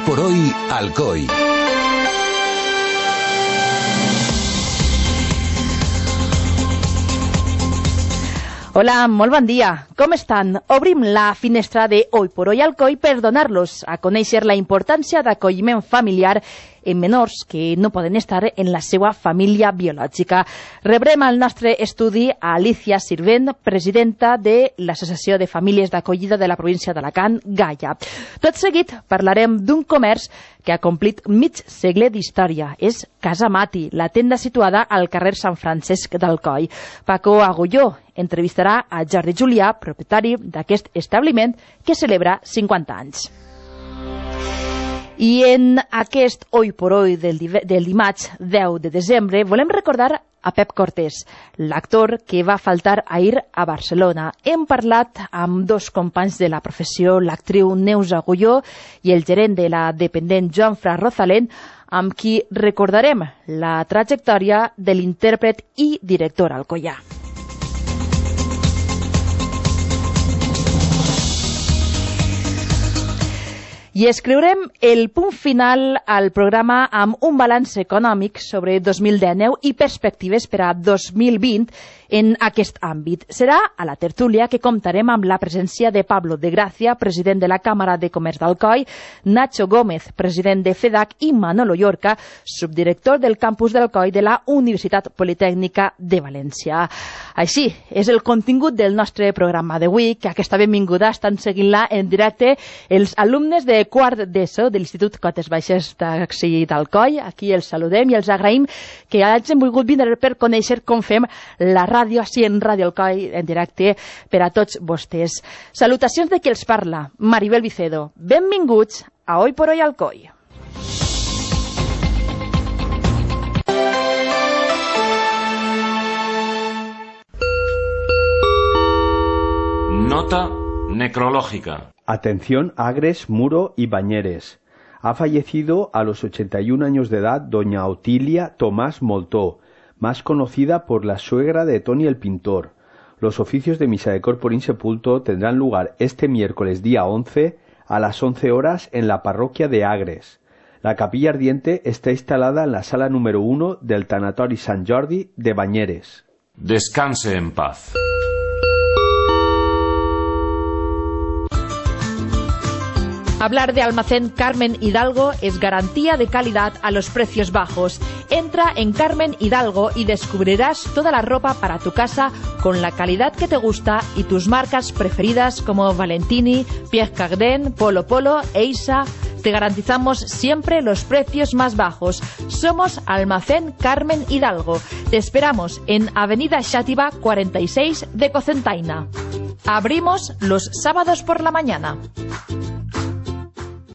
por hoy, Alcoi. Hola, molt bon dia. Com estan? Obrim la finestra de Hoy por Hoy Alcoi per donar-los a conèixer la importància d'acolliment familiar en menors que no poden estar en la seva família biològica. Rebrem al nostre estudi a Alicia Sirvent, presidenta de l'Associació de Famílies d'Acollida de la província d'Alacant, Gaia. Tot seguit parlarem d'un comerç que ha complit mig segle d'història. És Casa Mati, la tenda situada al carrer Sant Francesc d'Alcoi. Paco Agulló entrevistarà a Jordi Julià, propietari d'aquest establiment que celebra 50 anys. I en aquest Hoy por Hoy del dimarts 10 de desembre volem recordar a Pep Cortés, l'actor que va faltar ahir a Barcelona. Hem parlat amb dos companys de la professió, l'actriu Neus Agulló i el gerent de la dependent Joan Fra Rosalén, amb qui recordarem la trajectòria de l'intèrpret i director alcoià. I escriurem el punt final al programa amb un balanç econòmic sobre 2019 i perspectives per a 2020 en aquest àmbit. Serà a la tertúlia que comptarem amb la presència de Pablo de Gracia, president de la Càmera de Comerç d'Alcoi, Nacho Gómez, president de FEDAC, i Manolo Llorca, subdirector del campus d'Alcoi de la Universitat Politècnica de València. Així és el contingut del nostre programa d'avui, que aquesta benvinguda estan seguint-la en directe els alumnes de quart d'ESO de l'Institut Cotes Baixes d'Alcoi. Aquí els saludem i els agraïm que hagin volgut vindre per conèixer com fem la ràdio, així en Ràdio Alcoi, en directe per a tots vostès. Salutacions de qui els parla, Maribel Vicedo. Benvinguts a Hoy por Hoy Alcoi. Nota necrológica. Atención Agres, Muro y Bañeres. Ha fallecido a los 81 años de edad doña Otilia Tomás Moltó, más conocida por la suegra de Toni el pintor. Los oficios de misa de corpore insepulto tendrán lugar este miércoles día 11 a las 11 horas en la parroquia de Agres. La capilla ardiente está instalada en la sala número 1 del Tanatori Sant Jordi de Bañeres. Descanse en paz. Hablar de Almacén Carmen Hidalgo es garantía de calidad a los precios bajos. Entra en Carmen Hidalgo y descubrirás toda la ropa para tu casa con la calidad que te gusta y tus marcas preferidas como Valentini, Pierre Cardin, Polo Polo, Eisa. Te garantizamos siempre los precios más bajos. Somos Almacén Carmen Hidalgo. Te esperamos en Avenida Xàtiva 46 de Cocentaina. Abrimos los sábados por la mañana.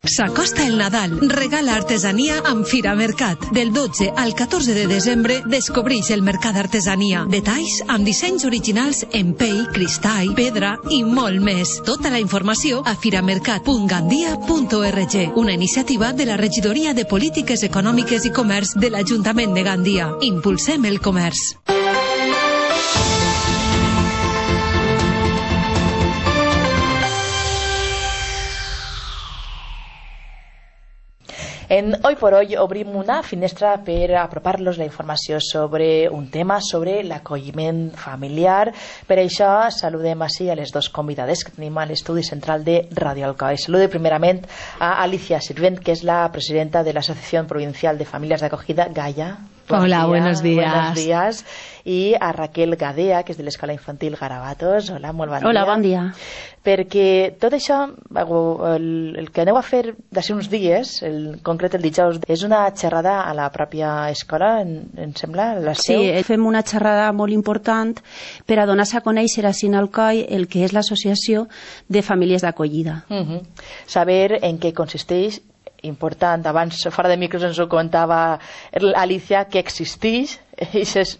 S'acosta el Nadal. Regala artesania amb Fira Mercat. Del 12 al 14 de desembre descobreix el mercat d'artesania. Detalls amb dissenys originals en pell, cristall, pedra i molt més. Tota la informació a firamercat.gandia.org. Una iniciativa de la Regidoria de Polítiques Econòmiques i Comerç de l'Ajuntament de Gandia. Impulsem el comerç. En Hoy por Hoy obrim una finestra per apropar-los la informació sobre un tema, sobre l'acolliment familiar. Per això saludem així a les dos convidades que tenim a l'estudi central de Ràdio Alcoi. Saludo primerament a Alicia Sirvent, que és la presidenta de l'Associació Provincial de Famílies d'Acogida, Gaia. Hola, buenos días. Buenos días. I a Raquel Gadea, que és de l'Escola Infantil Garabatos. Hola, molt bon dia. Hola, bon dia. Perquè tot això, el que aneu a fer d'ací uns dies, en concret el dijous, és una xerrada a la pròpia escola, em sembla? Sí, fem una xerrada molt important per a donar-se a conèixer a Alcoi el que és l'Associació de Famílies d'Acollida. Saber en què consisteix, important, abans fora de micros ens ho comentava Alicia, que existeix Eso es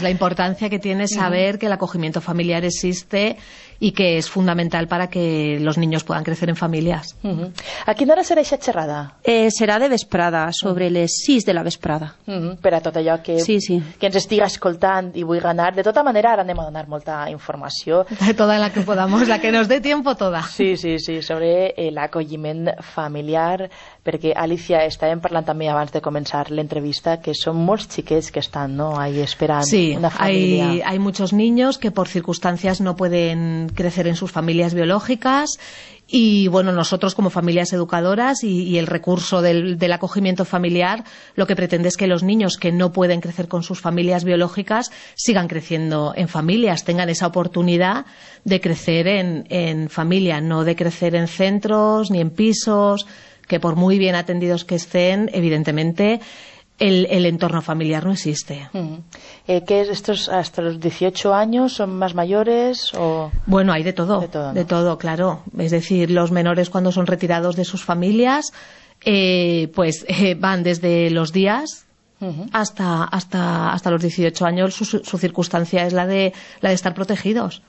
la importancia que tiene saber que el acogimiento familiar existe y que es fundamental para que los niños puedan crecer en familias. A quina hora serà aquesta xerrada? Serà de vesprada, sobre les 6 de la vesprada. Per a tot allò que ens estiga escoltant i vulgui anar. De tota manera, ara anem a donar molta informació. Toda la que podamos, la que nos dé tiempo, toda. Sí, sobre l'acolliment familiar, perquè, Alicia, estàvem parlant també abans de començar l'entrevista que són molts xiquets que estan, ¿no?, ahí esperant una familia. Sí, hay muchos niños que por circunstancias no pueden crecer en sus familias biológicas y, bueno, nosotros como familias educadoras y el recurso del acogimiento familiar lo que pretende es que los niños que no pueden crecer con sus familias biológicas sigan creciendo en familias, tengan esa oportunidad de crecer en familia, no de crecer en centros ni en pisos, que por muy bien atendidos que estén, evidentemente el entorno familiar no existe. ¿Qué es estos hasta los 18 años? ¿Son más mayores? O... Bueno, hay de todo, ¿no? De todo, claro. Es decir, los menores cuando son retirados de sus familias, van desde los días hasta los 18 años. Su circunstancia es la de estar protegidos.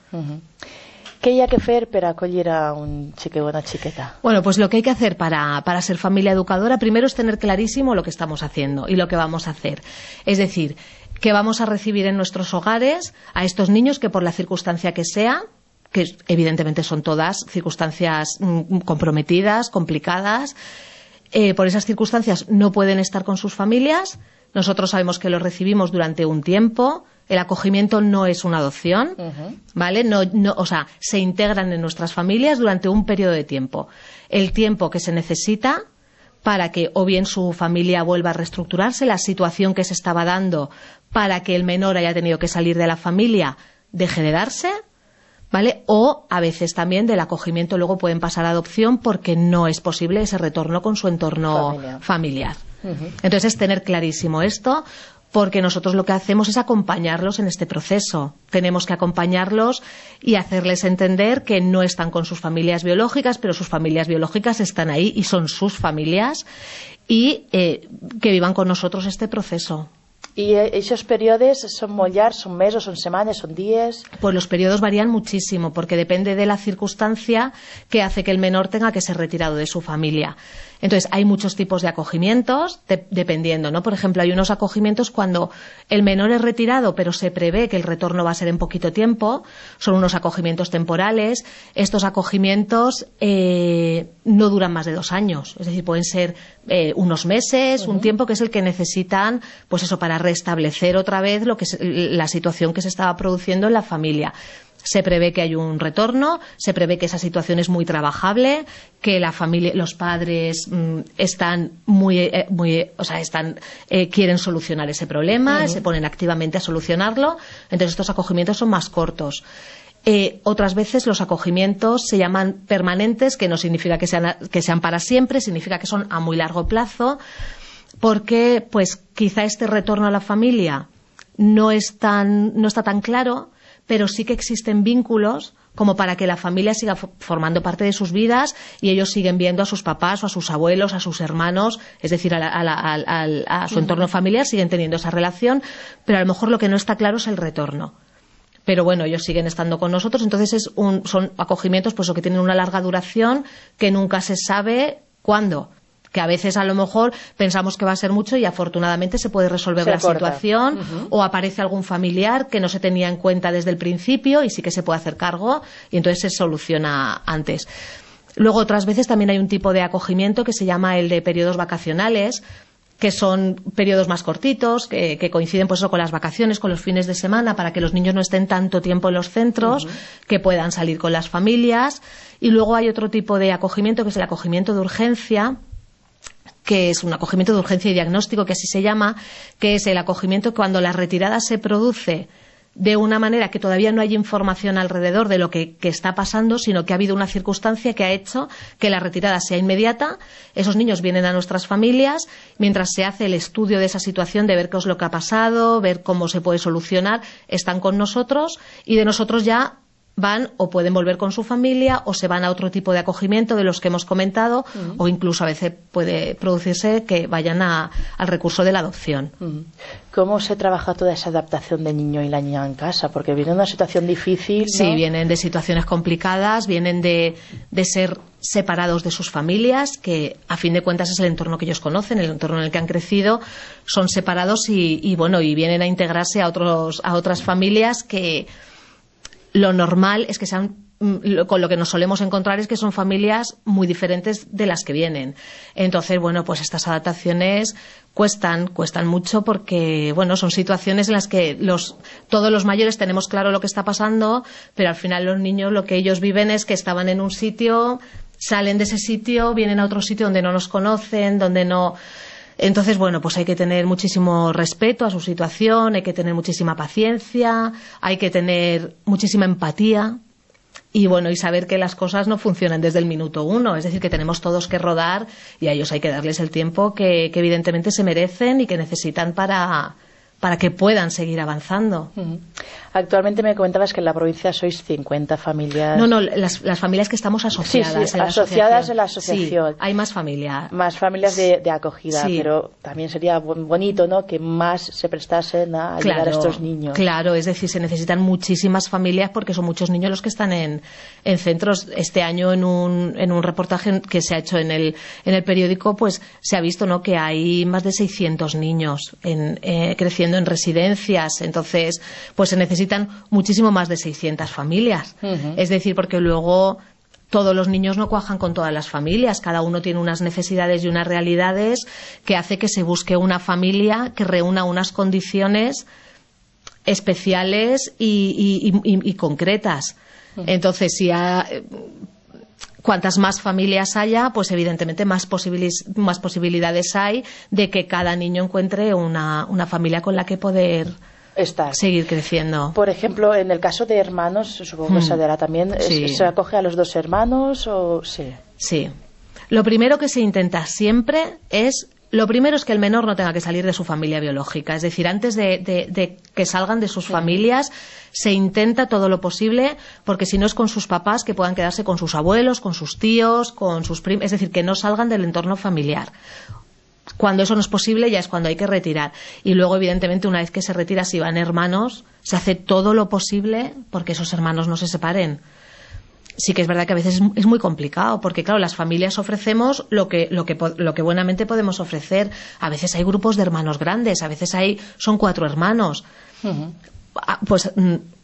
¿Qué hay que hacer para acollir a un chique o una chiqueta? Bueno, pues lo que hay que hacer para ser familia educadora, primero es tener clarísimo lo que estamos haciendo y lo que vamos a hacer. Es decir, que vamos a recibir en nuestros hogares a estos niños que por la circunstancia que sea, que evidentemente son todas circunstancias comprometidas, complicadas, por esas circunstancias no pueden estar con sus familias. Nosotros sabemos que los recibimos durante un tiempo. El acogimiento no es una adopción, ¿vale? O sea, se integran en nuestras familias durante un periodo de tiempo. El tiempo que se necesita para que o bien su familia vuelva a reestructurarse, la situación que se estaba dando para que el menor haya tenido que salir de la familia deje de darse, ¿vale? O a veces también del acogimiento luego pueden pasar a adopción porque no es posible ese retorno con su entorno familiar. Entonces es tener clarísimo esto, porque nosotros lo que hacemos es acompañarlos en este proceso. Tenemos que acompañarlos y hacerles entender que no están con sus familias biológicas, pero sus familias biológicas están ahí y son sus familias, y que vivan con nosotros este proceso. ¿Y esos periodos son molt llargs, son meses, son semanas, son días? Pues los periodos varían muchísimo, porque depende de la circunstancia que hace que el menor tenga que ser retirado de su familia. Entonces, hay muchos tipos de acogimientos, dependiendo, ¿no? Por ejemplo, hay unos acogimientos cuando el menor es retirado, pero se prevé que el retorno va a ser en poquito tiempo. Son unos acogimientos temporales. Estos acogimientos no duran más de 2 años. Es decir, pueden ser unos meses, un tiempo que es el que necesitan, pues eso, para restablecer otra vez la situación que se estaba produciendo en la familia. Se prevé que hay un retorno, se prevé que esa situación es muy trabajable, que la familia, los padres están quieren solucionar ese problema, se ponen activamente a solucionarlo. Entonces estos acogimientos son más cortos. Otras veces los acogimientos se llaman permanentes, que no significa que sean para siempre, significa que son a muy largo plazo, porque pues quizá este retorno a la familia no está tan claro, pero sí que existen vínculos como para que la familia siga formando parte de sus vidas y ellos siguen viendo a sus papás o a sus abuelos, a sus hermanos, es decir, a su entorno familiar, siguen teniendo esa relación, pero a lo mejor lo que no está claro es el retorno. Pero bueno, ellos siguen estando con nosotros, entonces son acogimientos pues que tienen una larga duración que nunca se sabe cuándo. Que a veces a lo mejor pensamos que va a ser mucho y afortunadamente se puede resolver la situación, o aparece algún familiar que no se tenía en cuenta desde el principio y sí que se puede hacer cargo y entonces se soluciona antes. Luego otras veces también hay un tipo de acogimiento que se llama el de periodos vacacionales, que son periodos más cortitos, que coinciden pues eso, con las vacaciones, con los fines de semana, para que los niños no estén tanto tiempo en los centros, que puedan salir con las familias. Y luego hay otro tipo de acogimiento que es el acogimiento de urgencia, que es un acogimiento de urgencia y diagnóstico, que así se llama, que es el acogimiento cuando la retirada se produce de una manera que todavía no hay información alrededor de lo que está pasando, sino que ha habido una circunstancia que ha hecho que la retirada sea inmediata. Esos niños vienen a nuestras familias, mientras se hace el estudio de esa situación, de ver qué es lo que ha pasado, ver cómo se puede solucionar, están con nosotros y de nosotros ya van o pueden volver con su familia o se van a otro tipo de acogimiento de los que hemos comentado, o incluso a veces puede producirse que vayan al recurso de la adopción. ¿Cómo se trabaja toda esa adaptación del niño y la niña en casa? Porque viene de una situación difícil, ¿no? Sí, vienen de situaciones complicadas, vienen de ser separados de sus familias, que a fin de cuentas es el entorno que ellos conocen, el entorno en el que han crecido, son separados y vienen a integrarse a otras familias que lo normal es que sean, con lo que nos solemos encontrar es que son familias muy diferentes de las que vienen. Entonces, bueno, pues estas adaptaciones cuestan mucho porque, bueno, son situaciones en las que todos los mayores tenemos claro lo que está pasando, pero al final los niños lo que ellos viven es que estaban en un sitio, salen de ese sitio, vienen a otro sitio donde no nos conocen, donde no... Entonces, bueno, pues hay que tener muchísimo respeto a su situación, hay que tener muchísima paciencia, hay que tener muchísima empatía y, bueno, y saber que las cosas no funcionan desde el minuto uno. Es decir, que tenemos todos que rodar y a ellos hay que darles el tiempo que evidentemente se merecen y que necesitan para que puedan seguir avanzando. Actualmente me comentabas que en la provincia sois 50 familias. No, las familias que estamos asociadas. Sí, asociadas en la asociación. Sí, hay más familias. Más familias de acogida, sí. Pero también sería bonito, ¿no?, que más se prestasen a ayudar a estos niños. Claro, es decir, se necesitan muchísimas familias porque son muchos niños los que están en centros. Este año en un reportaje que se ha hecho en el periódico, pues se ha visto, ¿no?, que hay más de 600 niños creciendo en residencias. Entonces, pues se necesitan muchísimo más de 600 familias. Es decir, porque luego todos los niños no cuajan con todas las familias, cada uno tiene unas necesidades y unas realidades que hace que se busque una familia que reúna unas condiciones especiales y concretas. Entonces, cuantas más familias haya, pues evidentemente más posibilidades hay de que cada niño encuentre una familia con la que poder seguir creciendo. Por ejemplo, en el caso de hermanos, supongo que se dará también, sí. ¿Se acoge a los dos hermanos o sí? Sí. Lo primero que se intenta siempre es que el menor no tenga que salir de su familia biológica. Es decir, antes de que salgan de sus familias, se intenta todo lo posible, porque si no es con sus papás, que puedan quedarse con sus abuelos, con sus tíos, con sus primos. Es decir, que no salgan del entorno familiar. Cuando eso no es posible, ya es cuando hay que retirar. Y luego, evidentemente, una vez que se retira, si van hermanos, se hace todo lo posible porque esos hermanos no se separen. Sí que es verdad que a veces es muy complicado, porque claro, las familias ofrecemos lo que buenamente podemos ofrecer. A veces hay grupos de hermanos grandes, a veces son 4 hermanos. Pues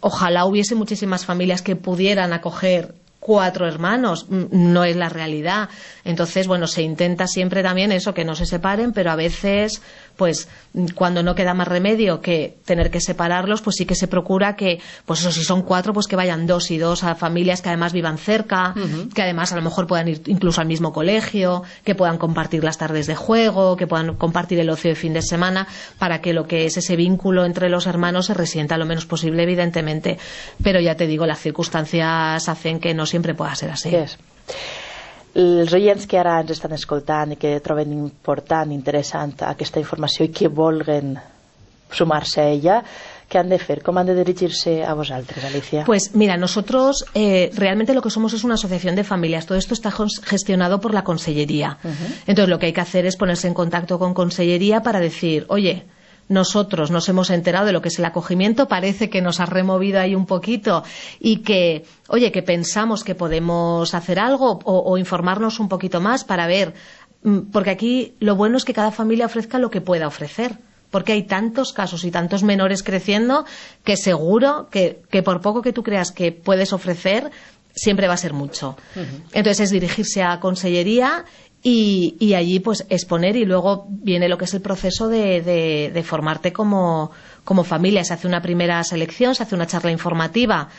ojalá hubiese muchísimas familias que pudieran acoger 4 hermanos, no es la realidad. Entonces, bueno, se intenta siempre también eso, que no se separen, pero a veces, pues, cuando no queda más remedio que tener que separarlos, pues sí que se procura que, pues eso, si son 4, pues que vayan 2 y 2 a familias que además vivan cerca, que además a lo mejor puedan ir incluso al mismo colegio, que puedan compartir las tardes de juego, que puedan compartir el ocio de fin de semana, para que lo que es ese vínculo entre los hermanos se resienta lo menos posible, evidentemente. Pero ya te digo, las circunstancias hacen que no siempre pueda ser así. Yes. Els oients que ara ens estan escoltant i que troben important, interessant aquesta informació i que vulguen sumar-se a ella, ¿qué han de hacer? ¿Cómo han de dirigirse a vosotros, Alicia? Pues mira, nosotros realmente lo que somos es una asociación de familias. Todo esto está gestionado por la Consellería. Entonces lo que hay que hacer es ponerse en contacto con Consellería para decir, oye, nosotros nos hemos enterado de lo que es el acogimiento, parece que nos ha removido ahí un poquito y que, oye, que pensamos que podemos hacer algo o informarnos un poquito más para ver, porque aquí lo bueno es que cada familia ofrezca lo que pueda ofrecer, porque hay tantos casos y tantos menores creciendo que seguro que por poco que tú creas que puedes ofrecer, siempre va a ser mucho. Entonces es dirigirse a Consellería y allí pues exponer, y luego viene lo que es el proceso de formarte como familia. Se hace una primera selección, se hace una charla informativa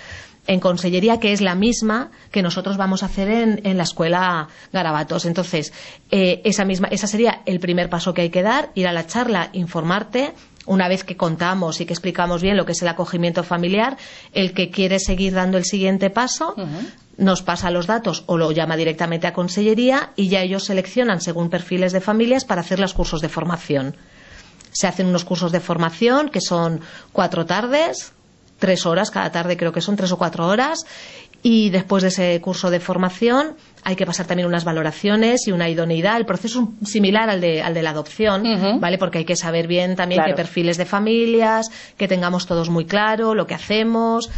en Consellería, que es la misma que nosotros vamos a hacer en la escuela Garabatos. Entonces esa sería el primer paso que hay que dar, ir a la charla, informarte. Una vez que contamos y que explicamos bien lo que es el acogimiento familiar, el que quiere seguir dando el siguiente paso nos pasa los datos o lo llama directamente a Consellería y ya ellos seleccionan según perfiles de familias para hacer los cursos de formación. Se hacen unos cursos de formación que son 4 tardes 3 horas cada tarde, creo que son 3 o 4 horas, y después de ese curso de formación hay que pasar también unas valoraciones y una idoneidad. El proceso es similar al de la adopción, ¿vale? Porque hay que saber bien también qué perfiles de familias, que tengamos todos muy claro lo que hacemos.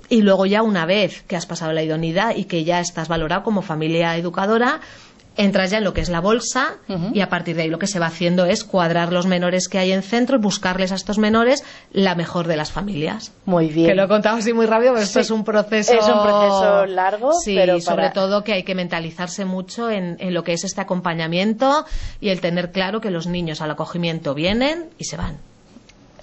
Y luego ya una vez que has pasado la idoneidad y que ya estás valorado como familia educadora, entras ya en lo que es la bolsa y a partir de ahí lo que se va haciendo es cuadrar los menores que hay en centro y buscarles a estos menores la mejor de las familias. Muy bien. Que lo he contado así muy rápido, pero esto es un proceso... Es un proceso largo, sí, pero sobre todo que hay que mentalizarse mucho en lo que es este acompañamiento y el tener claro que los niños al acogimiento vienen y se van.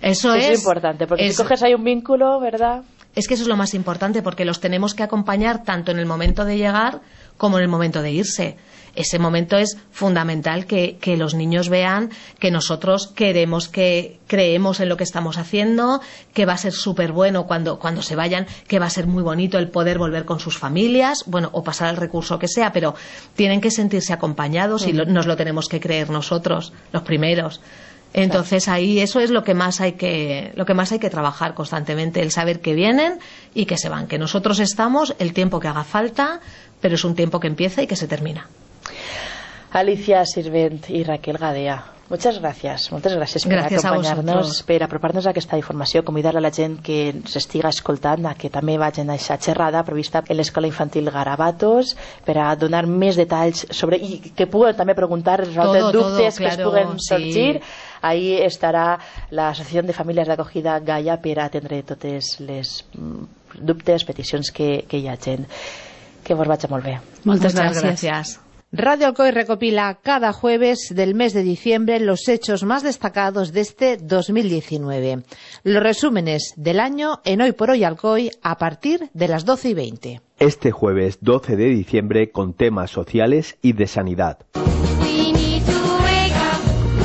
Eso es importante, porque si coges ahí un vínculo, ¿verdad? Es que eso es lo más importante, porque los tenemos que acompañar tanto en el momento de llegar como en el momento de irse. Ese momento es fundamental, que los niños vean que nosotros creemos en lo que estamos haciendo, que va a ser súper bueno cuando se vayan, que va a ser muy bonito el poder volver con sus familias, bueno, o pasar el recurso que sea, pero tienen que sentirse acompañados y nos lo tenemos que creer nosotros, los primeros. Entonces ahí eso es lo que más hay que trabajar constantemente, el saber que vienen y que se van, que nosotros estamos el tiempo que haga falta, pero es un tiempo que empieza y que se termina. Alicia Sirvent i Raquel Gadea, moltes gràcies per acompanyar-nos, per apropar-nos a aquesta informació, convidar a la gent que s'estiga escoltant a que també vagin a aquesta xerrada prevista en l'Escola Infantil Garabatos per a donar més detalls sobre, i que puguen també preguntar, resoldre dubtes que es puguen sorgir. Ahí estarà l'Associació de Famílies d'Acogida Gaia per a atendre totes les dubtes, peticions que hi ha gent. Que vos vagi molt bé. Muchas gracias. Radio Alcoy recopila cada jueves del mes de diciembre los hechos más destacados de este 2019. Los resúmenes del año en Hoy por Hoy Alcoy a partir de las 12:20. Este jueves 12 de diciembre con temas sociales y de sanidad.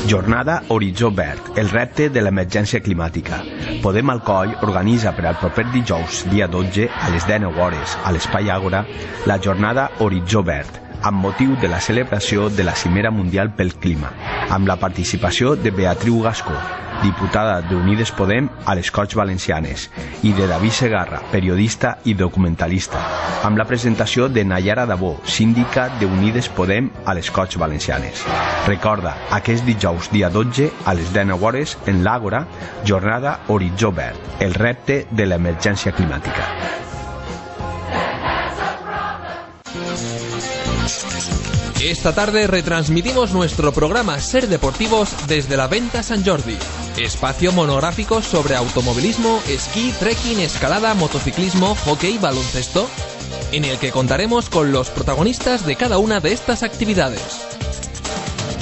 Jornada Horitzó Verd, el repte de l'emergència climàtica. Podem Alcoi organitza per al proper dijous, dia 12, a les 19 hores, a l'Espai Àgora, la jornada Horitzó Verd, amb motiu de la celebració de la Cimera Mundial pel Clima, amb la participació de Beatriu Gascó, diputada d'Unides Podem a les Corts Valencianes, i de David Segarra, periodista i documentalista, amb la presentació de Nayara Dabó, síndica d'Unides Podem a les Corts Valencianes. Recorda, aquest dijous dia 12 a les 19 hores en l'Àgora, jornada Horitzó Verd, el repte de l'emergència climàtica. Esta tarde retransmitimos nuestro programa Ser Deportivos desde la Venta Sant Jordi, espacio monográfico sobre automovilismo, esquí, trekking, escalada, motociclismo, hockey, baloncesto, en el que contaremos con los protagonistas de cada una de estas actividades.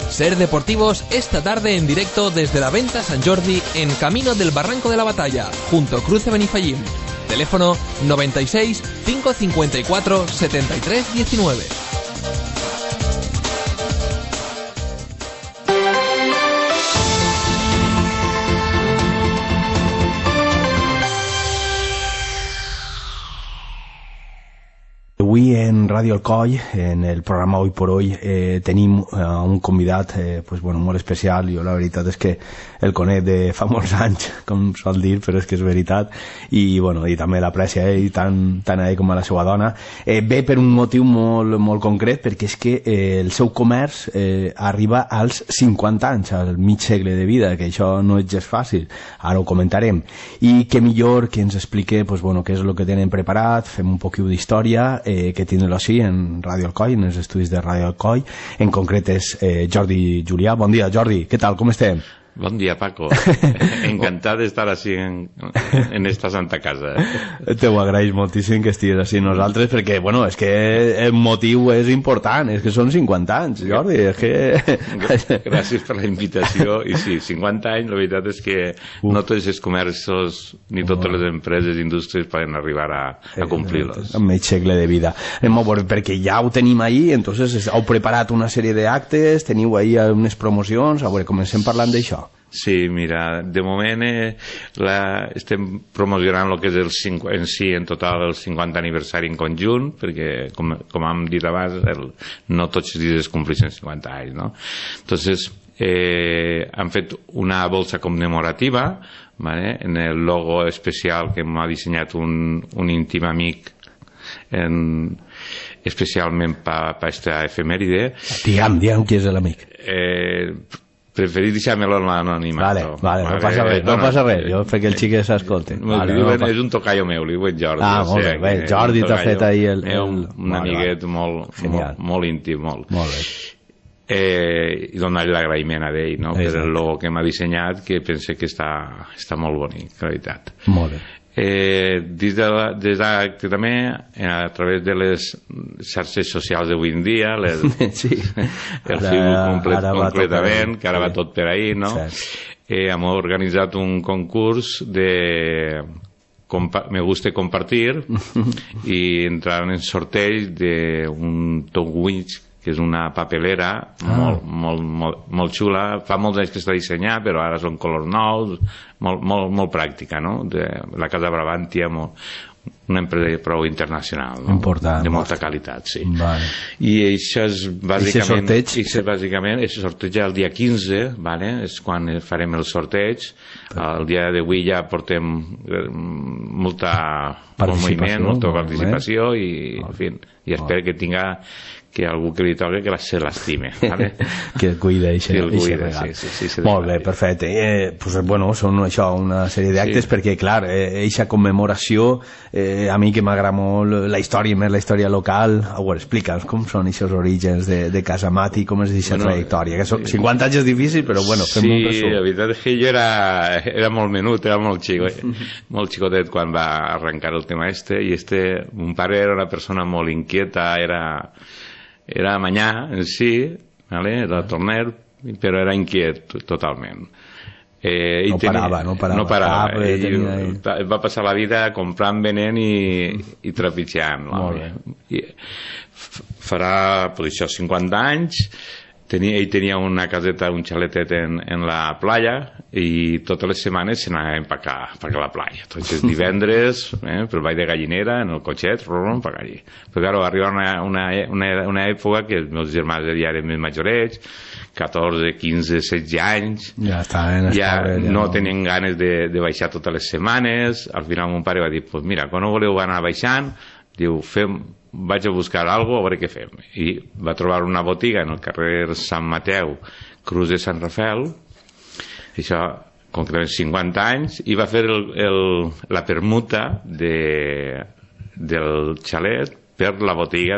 Ser Deportivos esta tarde en directo desde la Venta Sant Jordi en Camino del Barranco de la Batalla, junto a Cruce Benifallim. Teléfono 96 554 73 19. Avui en Radio Alcoi, en el programa Hoy por Hoy, tenim un convidat molt especial. Jo la veritat és que el conec de fa molts anys, com sol dir, però és que és veritat, i també l'aprecia ell tant a ell com a la seva dona. Ve per un motiu molt concret, perquè és que el seu comerç arriba als 50 anys, al mig segle de vida, que això no és gens fàcil, ara ho comentarem. I que millor que ens explique què és el que tenen preparat, fem un poquet d'història, que tindre-lo així en Radio Alcoi, en els estudis de Radio Alcoi. En concret és Jordi Julià. Bon dia, Jordi, què tal, com estem? Bon dia, Paco. Encantat d'estar així en esta santa casa. Te ho agraeix moltíssim que estiguis així nosaltres, perquè, és que el motiu és important, és que són 50 anys, Jordi, és que... Gràcies per la invitació, i sí, 50 anys, la veritat és que no tots els comerços ni totes les empreses i indústries poden arribar a complir-los. En mig segle de vida. Anem a veure, perquè ja ho tenim ahí, entonces heu preparat una sèrie d'actes, teniu ahí unes promocions, a veure, comencem parlant d'això. Sí, mira, de moment estem promocionant el que és en total el 50 aniversari en conjunt, perquè, com hem dit abans, no tots els dies es compleixen 50 anys, no? Entonces, han fet una bolsa commemorativa ¿vale? En el logo especial que m'ha dissenyat un íntim amic especialment per aquesta efemèride. Digue'm qui és l'amic. Preferís deixar-me-lo en l'anonimat. Vale, no passa res, jo fer que el xic s'escolti. És un tocaio meu, li diuen Jordi. Molt bé, Jordi t'ha fet ahir un amiguet molt íntim, molt bé. I donar-li l'agraïment a ell, no? Per el logo que m'ha dissenyat, que pense que està molt bonic, en realitat. Molt bé. Des d'acte també, a través de les xarxes socials d'avui en dia, el Facebook completament, que ara va tot per ahir, no? Hem organitzat un concurs de Me gusta compartir i entraran en sorteig d'un Togwitch, que és una papelera molt xula. Fa molts anys que està dissenyat, però ara són colors nous, molt pràctica, no? De la Casa Brabantia, una empresa prou internacional, no? Important, de molta qualitat, sí. Vale. I això és bàsicament el sorteig el dia 15, vale? És quan farem el sorteig. El dia d'avui ja portem molt moviment, molta participació i espero que tinga que algú que li toque que se l'estime, ¿vale? Que el cuida i se regal. Molt bé, perfecte. Són això, una sèrie d'actes, perquè clar, eixa commemoració, a mi que m'agrada molt la història, més la història local. Explica'ns com són aquests orígens de Casa Mati, com és aquesta trajectòria, que són 50 anys és difícil, però fem un resum. Sí, la veritat és que jo era molt menut, era molt xicotet quan va arrencar el tema i mon pare era una persona molt inquieta, era manyà en si, ¿vale? Era torner, però era inquiet totalment. No parava. Va passar la vida comprant, venent i trepitjant. Farà, per això, 50 anys. Ell tenia una caseta, un xaletet en la playa i totes les setmanes se n'anava a la playa. Tots els divendres, pel Vall de Gallinera, en el cotxet, per allí. Però claro, arriba una època que els meus germans ja eren més majorets, 14, 15, 16 anys, ja no tenien ganes de baixar totes les setmanes. Al final mon pare va dir, pues mira, quan no voleu anar baixant, diu, vaig a buscar alguna cosa, a veure què fem. I va trobar una botiga en el carrer Sant Mateu, Cruz de Sant Rafael, això concretament 50 anys, i va fer la permuta del xalet per la botiga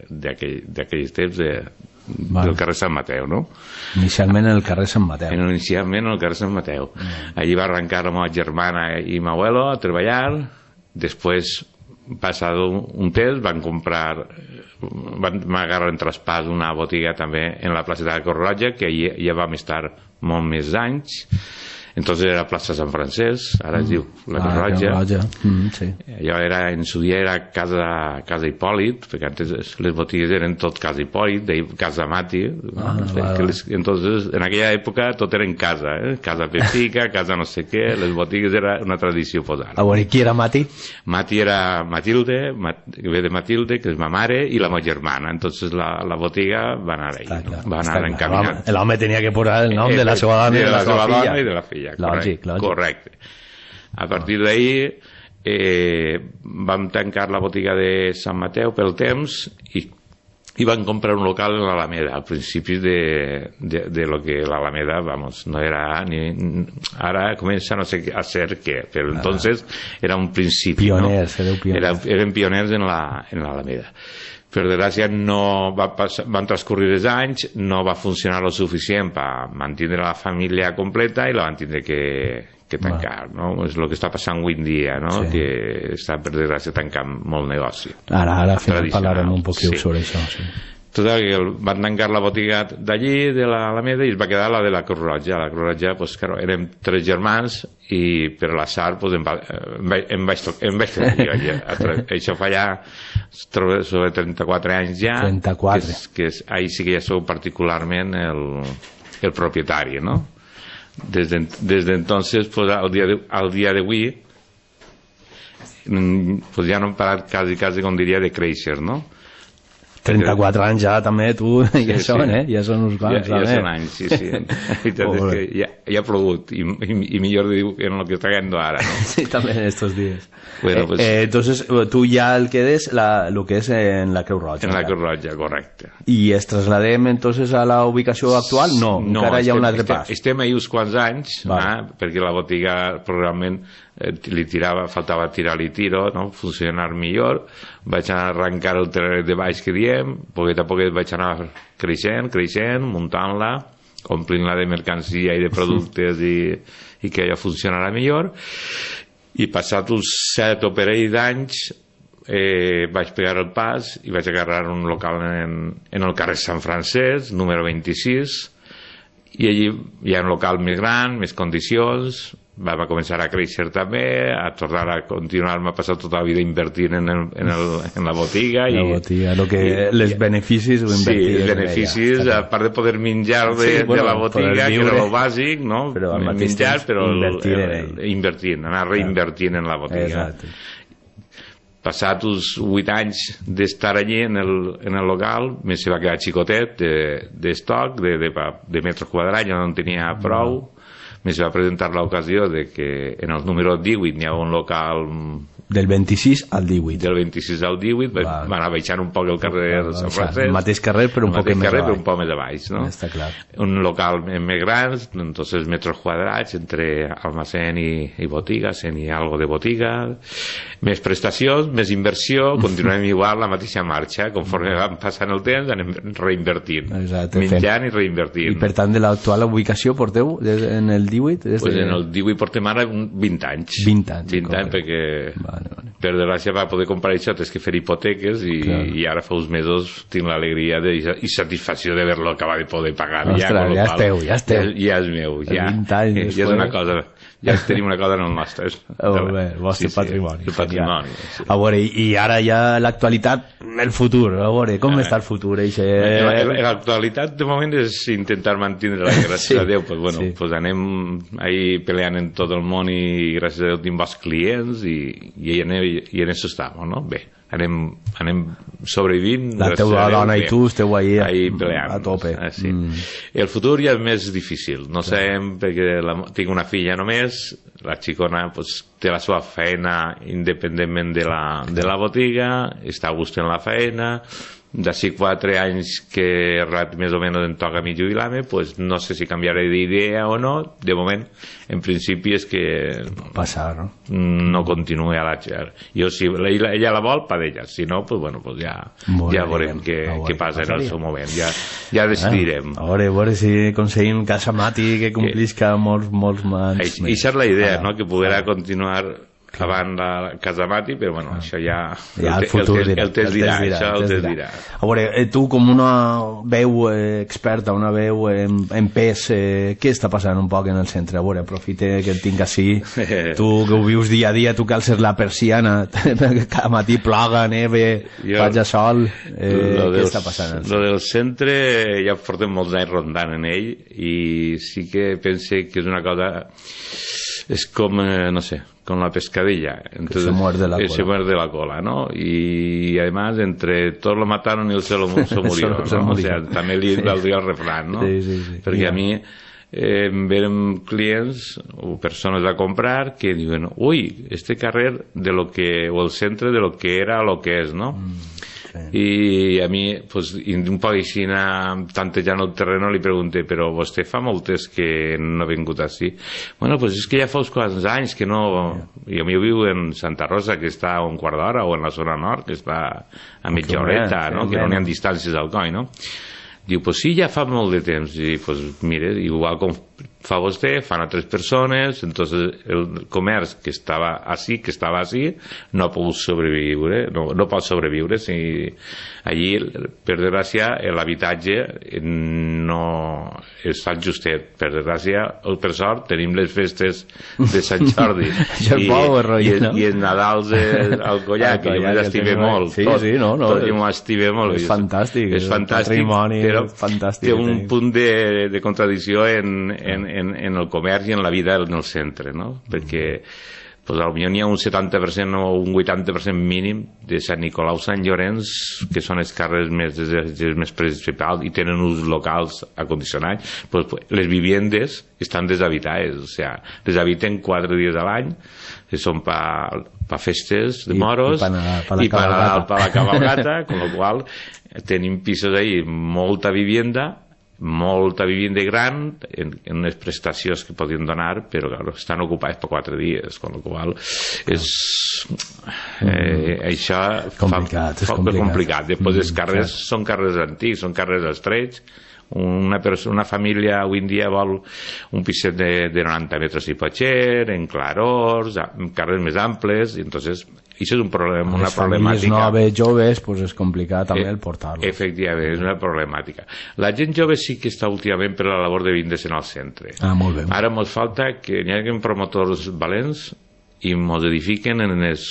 d'aquells temps del carrer Sant Mateu, no? Inicialment en el carrer Sant Mateu. Inicialment en el carrer Sant Mateu. Allí va arrencar la meva germana i meu abuelo a treballar. Després, passat un temps, van agarrar en traspàs una botiga també en la plaça de la Creu Roja, que ja vam estar molt més anys. Entonces era plaça Sant Francesc, ara es diu la Creu Roja. Allò en su dia era casa Hipòlit, perquè antes les botigues eren tot casa Hipòlit, casa Mati. Entonces en aquella època tot era en casa, casa Pepica, casa no sé què, les botigues era una tradició posar. I qui era Mati? Mati era Matilde, que ve de Matilde, que és ma mare, i la meva germana. Entonces la botiga va anar ahí, va anar encaminant. L'home tenia que posar el nom de la seva dona i de la seva filla. I de la filla. Lògic. Correcte. A partir d'ahir vam tancar la botiga de Sant Mateu pel temps i van comprar un local en l'Alameda, al principi de lo que l'Alameda, no era ni... Ara comença a ser què, però entonces era un principi. Pioners, eren pioners en l'Alameda. Per desgràcia van transcorrir els anys, no va funcionar lo suficient per mantenir la família completa i la van tindre que tancar, no? És el que està passant avui en dia, no? Que està per desgràcia tancant molt negoci. Ara parlarem un poquet sobre això, sí. Total, que van tancar la botiga d'allí, de l'Alameda, i es va quedar la de la Creu Roja. La Creu Roja, doncs, claro, érem 3 germans i per l'atzar em vaig trobar jo. Això fa ja sobre 34 anys ja. 34. Que ahí sí que ja sou particularment el propietari, no? Desde entonces, pues, al día de avui, pues ja no hem parat quasi, com diria, de créixer, no? 34 anys ja també, tu, ja són, ja són uns quants. Ja són anys, sí. La veritat és que ja ha plogut, i millor diu que en el que està cayendo ara, ¿no? Sí, també en estos días. Bueno, pues, entonces, tú ya el quedes lo que es en la Creu Roja. En la Creu Roja, correcte. I es trasladem entonces a la ubicació actual? No, encara hi ha un altre pas. Estem ahí uns quants anys, perquè la botiga probablement faltava tirar-li tiro, no? Funcionar millor. Vaig anar a arrencar el terreny de baix que diem, poquet a poquet vaig anar creixent, muntant-la, omplint-la de mercancia i de productes i que allò funcionarà millor. I passat uns 7 o parell d'anys vaig pegar el pas i vaig agarrar un local en el carrer Sant Francesc, número 26, i allí hi ha un local més gran, més condicions. Va començar a créixer també, a tornar a continuar, m'ha passat tota la vida invertint en la botiga. Els beneficis ho invertir. Sí, els beneficis, a part de poder menjar de la botiga, que era el bàsic, no? Menjar, però invertint, anar reinvertint en la botiga. Passat uns 8 anys d'estar allí en el local, més se va quedar xicotet d'estoc, de metres quadrats, ja no en tenia prou. Més va presentar l'ocasió de que en el número 18 n'hi ha un local... Del 26 al 18. Del 26 al 18, va anar baixant un poc el carrer de Sant Francesc. El mateix carrer, però un poc més a baix. No? Està clar. Un local més gran, entonces metros quadrats, entre almacén i botiga, i algo de botiga, més prestacions, més inversió, continuem igual la mateixa marxa, conforme van passant el temps anem reinvertint, menjant i reinvertint. I per tant, de l'actual ubicació porteu en el 18? Pues en el 18 portem ara 20 anys. 20 anys, perquè per desgràcia va poder comprar això, és que fer hipoteques i ara fa uns mesos tinc l'alegria i satisfacció d'haver-lo acabat de poder pagar. Ostres, ja és teu. Ja és meu, ja és una cosa... Ja tenim una cosa en el nostre. El vostre patrimoni. El patrimoni. A veure, i ara ja l'actualitat, el futur, a veure, com està el futur? L'actualitat de moment és intentar mantenir-la, gràcies a Déu, pues anem ahí peleant en tot el món i gràcies a Déu tinc bons clients i en això estem, no? Bé, anem sobrevivint. La teva dona i tu esteu ahí peleant, a tope. El futur ja és més difícil, no sabem, perquè tinc una filla només, la xicona té la seva feina independentment de la botiga, està a gust en la feina. D'ací 4 anys que més o menys em toca a mi jubilar-me, no sé si canviaré d'idea o no. De moment, en principi és que no continuï a la xer. Jo, si ella la vol, per ella. Si no, ja veurem què passa en el seu moment. Ja decidirem. A veure si aconseguim Casa Mati que complisca molts mans. Això és la idea, que poderà continuar avant la Casa Mati, però això ja el futur el temps dirà. A veure, tu com una veu experta, una veu en pes, què està passant un poc en el centre? A veure, aprofite que el tinc així, tu que ho vius dia a dia, tu que alces la persiana, cada matí ploga, neve, faig a sol, què està passant? Lo del centre ja portem molts anys rondant en ell i sí que pense que és una cosa, és com, no sé, con la pescadilla. Entonces, se muerde la cola, ¿no? Y además, entre todos lo mataron y él se murió, ¿no? O sea, també li valdria el refrán, ¿no? Sí. Perquè a mi venen clients o persones a comprar que diuen, uy, este carrer de lo que, o el centre de lo que era a lo que és, ¿no? I a mi, un poc així tantejant el terreno, li pregunté, però vostè fa moltes que no ha vingut així? Bueno, és que ja fa uns quants anys que no... I a mi viu en Santa Rosa, que està a un quart d'hora, o en la zona nord, que està a mitja horeta, que no n'hi ha distàncies al coll, no? Diu, sí, ja fa molt de temps. I, mire, igual com fa vostè, fan altres persones, entonces el comerç que estava així, no ha pogut sobreviure, no pot sobreviure, si allí, per desgràcia, l'habitatge no està justet. Per desgràcia, per sort, tenim les festes de Sant Jordi i els Nadals al Collar, que jo m'estime molt. Sí, no. Jo m'estime molt. És fantàstic. És fantàstic, però té un punt de contradicció en el comerç i en la vida en el centre, no? Perquè potser n'hi ha un 70% o un 80% mínim de Sant Nicolau, Sant Llorenç, que són els carrers més principals i tenen uns locals acondicionats. Les viviendes estan deshabitades, o sigui, les habiten 4 dies a l'any, que són per festes de moros i per la cabalgata, con lo qual tenim pisos ahí, molta vivienda gran en unes prestacions que podien donar, però claro, estan ocupats per 4 dies, con lo qual és això és complicat. Després els carrers són carrers antics, són carrers estrets. Una família avui en dia vol un piset de 90 metres i potser, en clarors, en carrers més amples, i entonces això és un problema, una problemàtica. Les noves, joves, pues és complicat també el portar-los. Efectivament, és una problemàtica. La gent jove sí que està últimament per la labor de vindre's en el centre. Molt bé. Ara ens falta que hi hagi promotors valents i ens edifiquen en les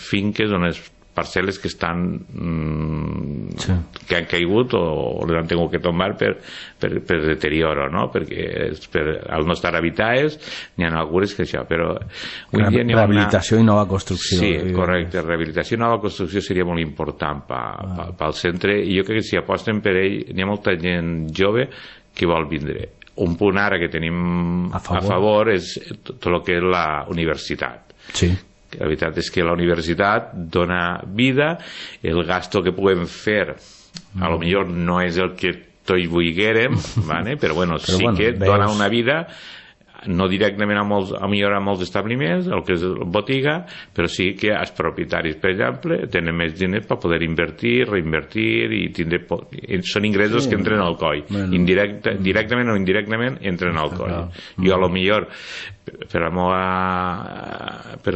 finques o en les parcel·les que estan que han caigut o les han tingut que tombar per deterioro, no? Perquè al no estar habitades n'hi ha algunes que això, però rehabilitació i nova construcció. Sí, correcte, rehabilitació i nova construcció seria molt important pel centre, i jo crec que si aposten per ell n'hi ha molta gent jove que vol vindre. Un punt ara que tenim a favor és tot el que és la universitat. Sí. La veritat és que la universitat dona vida, el gasto que puguem fer a lo millor no és el que tots vulguérem, ¿vale? Però bueno, sí que dona una vida, no directament a molts establiments, el que és botiga, però sí que els propietaris, per exemple, tenen més diners per poder invertir, reinvertir, i són ingressos que entren al coll. Directament o indirectament entren al coll. Jo a lo millor per el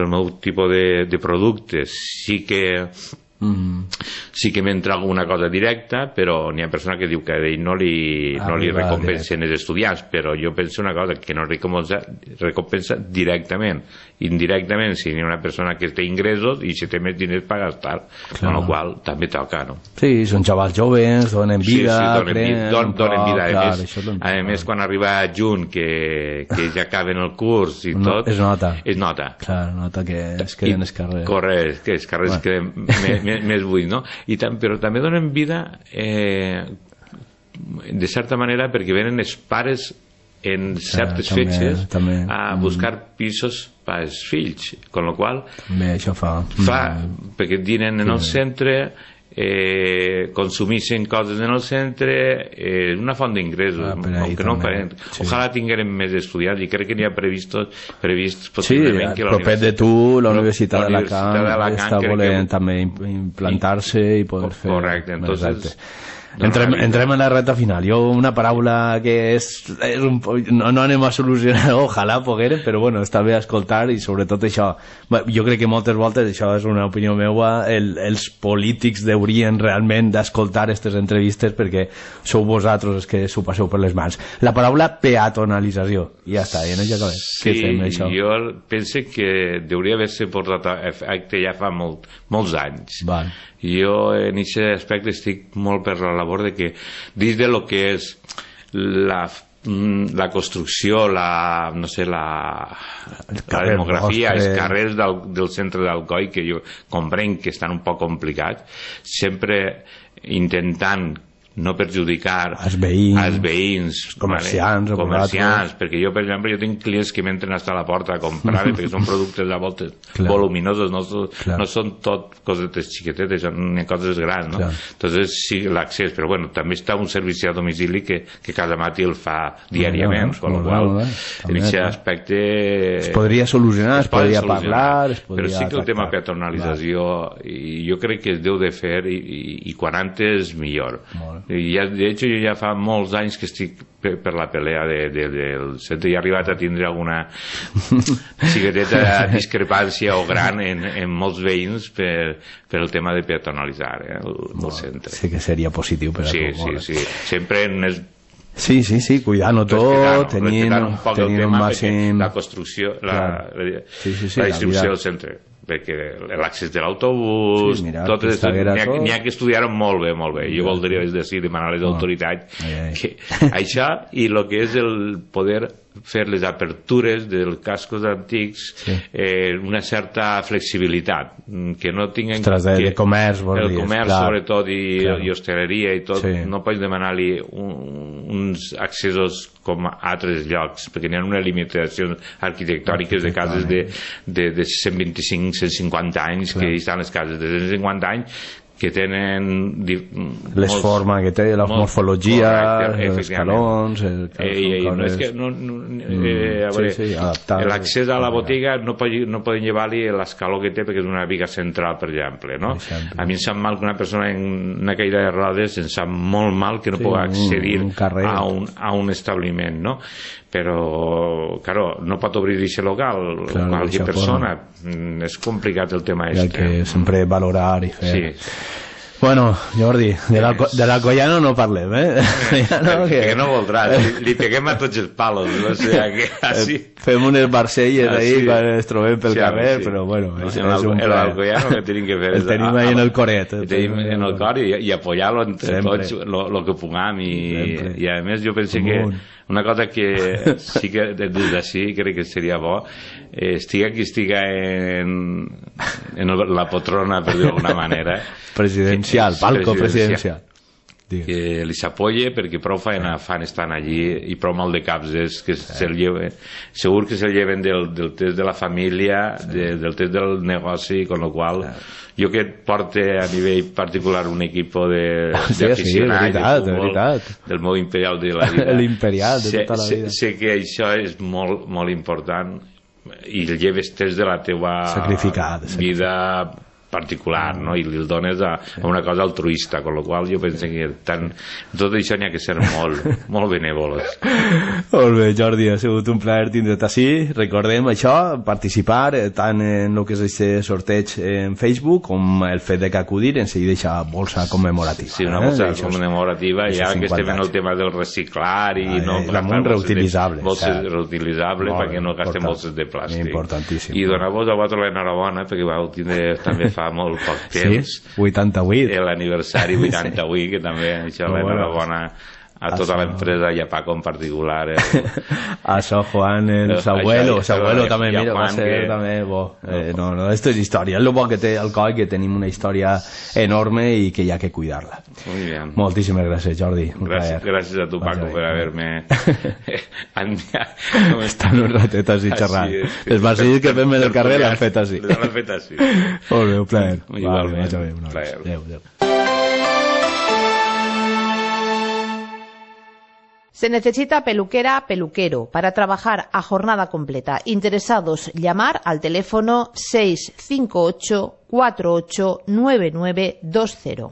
meu tipus de productes sí que m'entra alguna cosa directa, però n'hi ha persona que diu que a ell no li recompensen els estudiants, però jo penso una cosa, que no recompensa directament. Indirectament, si hi ha una persona que té ingressos i si té més diners per gastar, amb la qual també toca, no? Sí, són xavals joves, donen vida, donen vida. A més, quan arriba juny, que ja acaben el curs i tot, es nota. Clar, nota que es queden els carrers. Correcte, que els carrers es queden més buits, no? Però també donen vida de certa manera perquè venen els pares en certes fetges a buscar pisos per als fills, con lo qual això fa perquè dinen en el centre, consumeixen coses en el centre, una font d'ingressos, aunque no farem. Ojalà tinguérem més estudiants, i crec que n'hi ha previst possiblement que proper de tu, la Universitat d'Alacant està volent també implantar-se i poder fer. Correcte, entonces entrem en la recta final. Jo una paraula que no anem a solucionar, ojalà poguérem, però bueno, està bé escoltar, i sobretot això, jo crec que moltes voltes, això és una opinió meua, els polítics haurien realment d'escoltar aquestes entrevistes, perquè sou vosaltres els que s'ho passeu per les mans. La paraula peatonalització, ja està, ja no ja acabem. Sí, jo penso que hauria d'haver-se portat a efecte ja fa molts anys. Jo en aquest aspecte estic molt per la labor de que dins de lo que és la construcció, la demografia, els carrers del centre d'Alcoi, que jo comprenc que estan un poc complicats, sempre intentant no perjudicar els veïns, comerciants, perquè jo, per exemple, jo tinc clients que m'entren fins a la porta a comprar, perquè són productes a voltes voluminosos, no són tot cosetes xiquetetes, són coses grans, no? Entonces sí, l'accés, però bueno, també està un servici a domicili que cada matí el fa diàriament, con lo qual en aquest aspecte es podria solucionar, es podria parlar, però sí que el tema peatonalització jo crec que es deu de fer, i quan antes millor. De hecho, jo ja fa molts anys que estic per la pelea del centre, i he arribat a tindre alguna xiqueteta discrepància o gran en molts veïns per el tema de peatonalitzar el centre. Sí que seria positiu per a tu. Sí, sempre en els Sí, cuidant-ho tot, tenint un màxim... La construcció, la distribució del centre, perquè l'accés de l'autobús, n'hi ha que estudiar-ho molt bé. Jo voldria demanar a les autoritats que això, i el que és el poder fer les apertures dels cascos antics una certa flexibilitat, que no tinguin de comerç, el comerç sobretot i hostaleria i tot, no pots demanar-li uns accessos com a altres llocs, perquè n'hi ha una limitació arquitectòniques de cases de 125-150 anys, que estan les cases de 150 anys que tenen les formes que té, la morfologia, els escalons, l'accés a la botiga no poden llevar-li l'escaló que té perquè és una viga central, per exemple, no? A mi em sap mal que una persona en una caïda de rodes em sap molt mal que no pugui accedir a un establiment, no? Però, claro, no pot obrir aquest local qualsevol persona, és complicat el tema este. Hay que sempre valorar i fer. Bueno, Jordi, de l'Alcoyano no parlem, que no voldrà, li peguem a tots els palos, no sé, així. Fem unes barcelles ahí quan ens trobem pel carrer, però bueno, és un plaer. L'Alcoyano que tenim que fer el tenim ahí en el coret. El tenim en el cor i apoyar-lo entre tots el que puguem, i a més jo penso que una cosa que sí que des d'ací crec que seria bo, estiga qui estiga en la poltrona, per dir-ho d'alguna manera, presidencial, palco presidencial, que li s'apoye, perquè prou feina fan estan allí i prou mal de caps és que se'l lleven, segur que se'l lleven del test de la família, del test del negoci, con lo qual jo que porte a nivell particular un equip d'aficionats de futbol del meu imperial de la vida, l'imperial de tota la vida, sé que això és molt, molt important i el lleves test de la teva vida particular, no? I li dones a una cosa altruista, con lo qual jo penso que tot això n'hi ha que ser molt benèvols. Molt bé, Jordi, ha sigut un plaer tindre't així. Recordem això, participar tant en el que és aquest sorteig en Facebook com el fet de que acudir en seguida aquesta bolsa commemorativa. Sí, una bolsa commemorativa, ja que estem en el tema del reciclar i no reutilitzable, bolses reutilitzable perquè no gastem bolses de plàstic. Importantíssim. I donar-vos a vosaltres l'enhorabona perquè vau tindre també fa molt poc temps, 88, l'aniversari 88, que també això l'enhorabona a tota l'empresa i a Paco en particular, a so Juan, el Sabuelo també, mira, va ser també bo. No, esto és història, és el bo que té el coll, que tenim una història enorme i que hi ha que cuidar-la. Moltíssimes gràcies, Jordi. Gràcies a tu, Paco, per haver-me estan un ratet així xerrant. Els barcells que fem del carrer l'han fet així. Molt bé, un plaer. Igualment. Adéu. Se necesita peluquera, peluquero para trabajar a jornada completa. Interesados, llamar al teléfono 658 48 9920.